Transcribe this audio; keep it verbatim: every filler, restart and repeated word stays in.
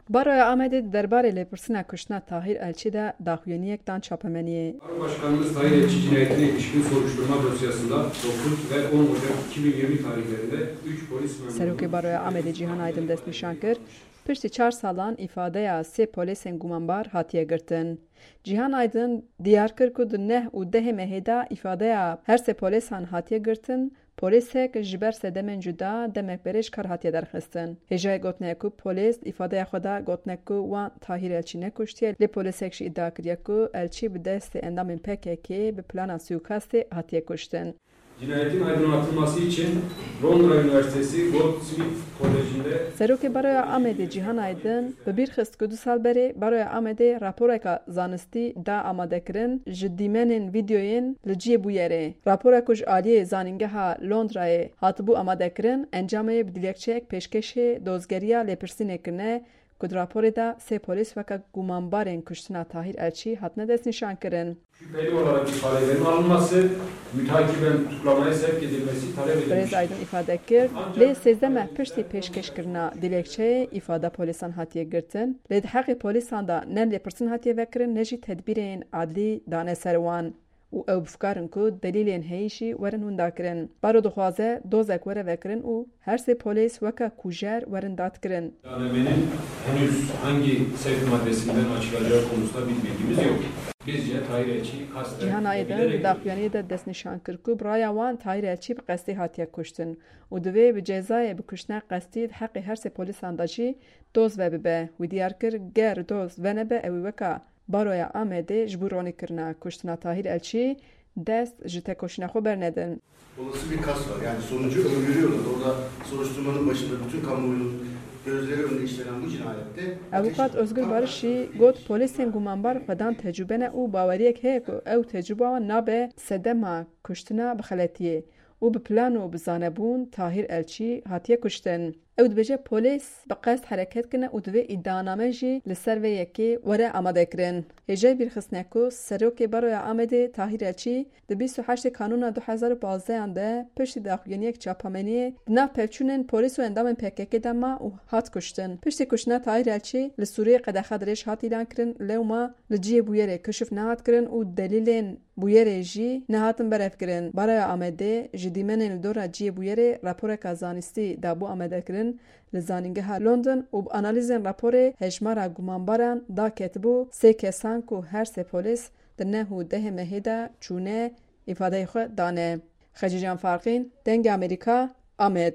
Baroya Amedê di derbarê lêpirsîna kuştina Tahîr Elçî de daxuyaniyek dan çapemeniyê. Barobaşkanımız Tahir Elçi cinayetine ilişkin soruşturma dosyasında dokuz ve on Ocak iki bin yirmi tarihlerinde üç polis memurunun... Serokê Baroya Amedê Cîhan Aydin destnîşan kir, piştî çar salan îfadeya sê polêsên gumanbar hatiye girtin. Cîhan Aydin diyar kir ku di neh û dehê mehê de îfadeya her sê polêsan hatiye girtin, polêsek ji ber sedemên cuda demek berê ji kar hatiye derxistin. Hêjayê gotinê ye ku polês di îfadeya xwe de gotine ku wan Tahîr Elçî nekuştiye, lê polêsek jî îdia kiriye ku Elçî bi destê endamên P K K bi plana suîkastê hatiye kuştin. Cinayetin aydınlatılması için Londra Üniversitesi Goldsmith Koleji'nde... Serokê Baroya Amedê Cîhan Aydin bi bîr xist ku du sal berê Baroya Amedê raporeka zanistî da amadekirin ji dîmenên vîdeoyên li cihê bûyerê. Rapora ku ji aliyê Zanîngeha Londrayê hatibû amadekirin, encamê bi dilekçeyek pêşkêşê dozgeriya lêpirsînê kirine ku di raporê de sê polîs weke gumanbarên kuştina Tahîr Elçî hatine destnîşankirin. Şüpheli olarak ifadelerin alınması, mütakiben tutuklamaya sevk edilmesi talep edilmiştir. Birêz Aydin îfade kir, lê sêzdeh meh piştî pêşkêşkirina dilekçeyê îfada polîsan hatiye girtin, lê di heqê polîsan de ne lêpirsîn hatiye vekirin ne jî tedbîrên adlî dane ser wan û ew bi fikar in ku delîlên heyî jî werin windakirin. Baro dixwaze dozek were vekirin û her sê polîs weke kujer werin dadkirin. İddianamenin henüz hangi sevk maddesinden açılacağı konusunda bir bilgimiz yok. Bizce Tahir Elçi kasten... Cîhan Aydin di daxuyaniyê de destnîşan kir ku bi raya wan Tahir Elçî bi qestî hatiye kuştin û divê bi cezayê bi kuştina qestî di heqê her sê polîsan de jî doz vebibe. Wî diyar kir, ger doz venebe, ew ê weka Baroya Amedê ji bo ronîkirina kuştina Tahîr Elçî dest ji tekoşîna xwe bernedin. Olası bir kast var. Yani sonucu öngörüyorlar. Orada soruşturmanın başında bütün kamuoyunun gözleri önünde işlenen bu cinayette... Avukat Özgür Barış jî got, polîsên gumanbar xwe dan tecrûbe ne û baweriyek heye ku ew tecrûba wan nabe sedema kuştina bi xeletiyê û bi plan û bi zanebûn Tahîr Elçî hatiye kuştin. Ew dibêje polîs bi qest hereket kirine û divê îdianame jî li ser vê yekê were amadekirin. Hêjayî bîrxistine ku Serokê Baroya Amedê Tahîr Elçî di bîst û heştê Kanûna du hezar û pazdehan de piştî daxuyaniyek çapemeniyê di nav pevçûnên polîs û endamên P K K de ma û hat kuştin. Piştî kuştina Tahîr Elçî li Sûriyê qedexa dirêj hat îlankirin, lewma li cihê bûyerê kişif nehat kirin û delîlên bûyerê jî nehatin berevkirin. Baroya Amedê ji dîmenên li dora cihê bûyerê raporeka zanistî dabû amadekirin li Zanîngeha London û bi analîzên raporê hejmara gumanbaran da ketibû sê kesan ku her sê polîs di neh û dehê mehê de çûne îfadeyê xwe dane. Xecîcan Farqîn, Dengê Amerîka, Amed.